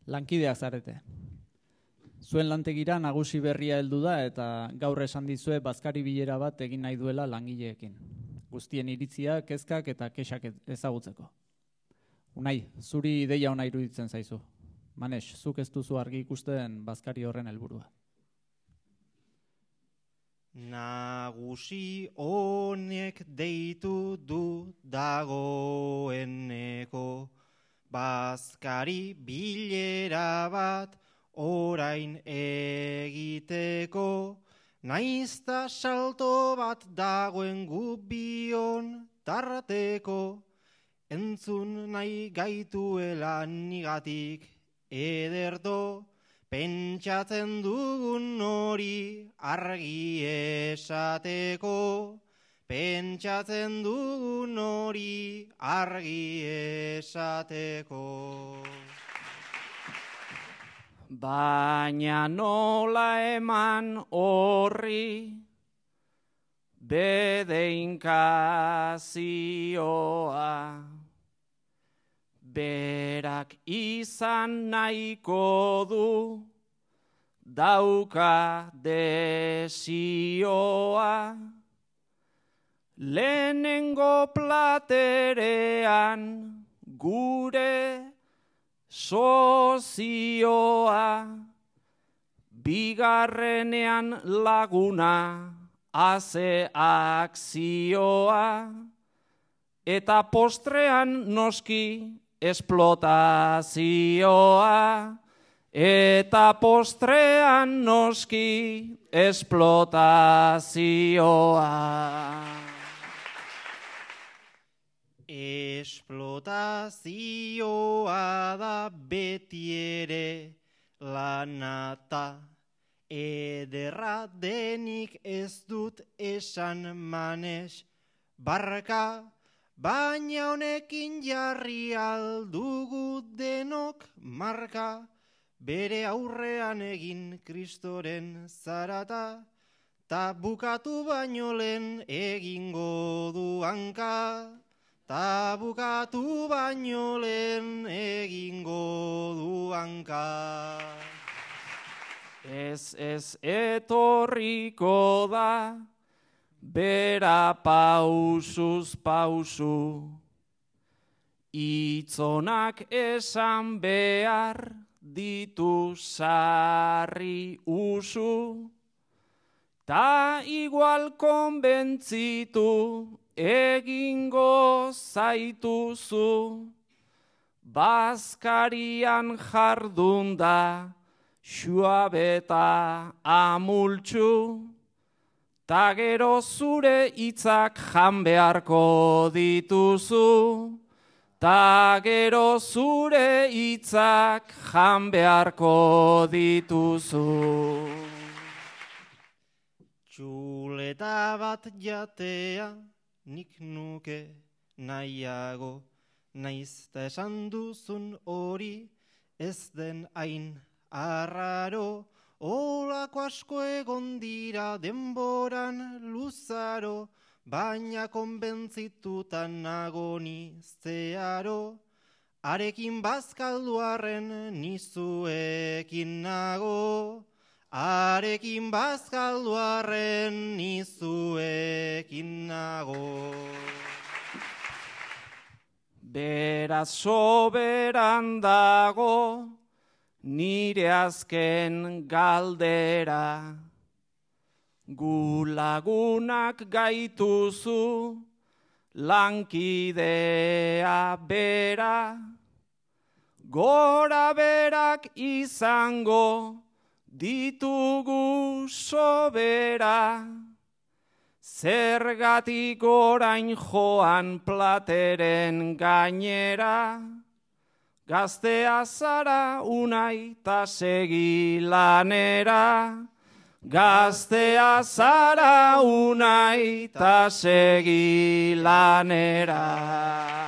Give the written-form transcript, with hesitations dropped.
Lankideak zarete. Zuen lantegira nagusi berria heldu da eta gaur esan dizue bazkari bilera bat egin nahi duela langileekin. Guztien iritzia, kezkak eta kexak ezagutzeko. Unai, zuri ideia ona iruditzen zaizu. Manex, zuk ez duzu argi ikusten bazkari horren helburua. Nagusi honek deitu du dagoeneko, bazkari bilera bat orain egiteko, naizta salto bat dagoen gubion tarteko, entzun nahi gaituela nigatik ederto, pentsatzen dugun hori argi esateko, pentsatzen dugun hori argi esateko. Baina nola eman horri bedeinkazioa, berak izan nahiko du dauka desioa, lehenengo platerean gure sozioa, bigarrenean laguna haze akzioa, eta postrean noski esplotazioa, eta postrean noski esplotazioa. Esplotazioa da beti ere lanata, ederra denik ez dut esan Manex, barka, baina honekin jarri aldugu denok marka, bere aurrean egin Kristoren zarata, ta bukatu baino lehen egingo du hanka, ta bukatu baino lehen egingo du hanka. Ez etorriko da, bera pausuz pausu, itzonak esan behar ditu sarri usu, ta igual konbentzitu egingo zaituzu, bazkarian jardun da xuabeta amultxu, ta gero zure hitzak jan beharko dituzu, ta gero zure hitzak jan beharko dituzu. Txuleta bat jatea nik nuke nahiago, naizta esan duzun hori ez den hain arraro, olako asko egon dira denboran luzaro, baina konbentzitutan nago ni zeharo, arekin bazkalduarren nizuekin nago, arekin bazkalduarren nizuekin nago. Beraz soberan dago nire azken galdera, gu lagunak gaituzu lankidea bera, gora berak izango ditugu sobera, zergatik orain joan plateren gainera, gaztea zara Unai ta segi lanera, gaztea zara Unai ta segi lanera.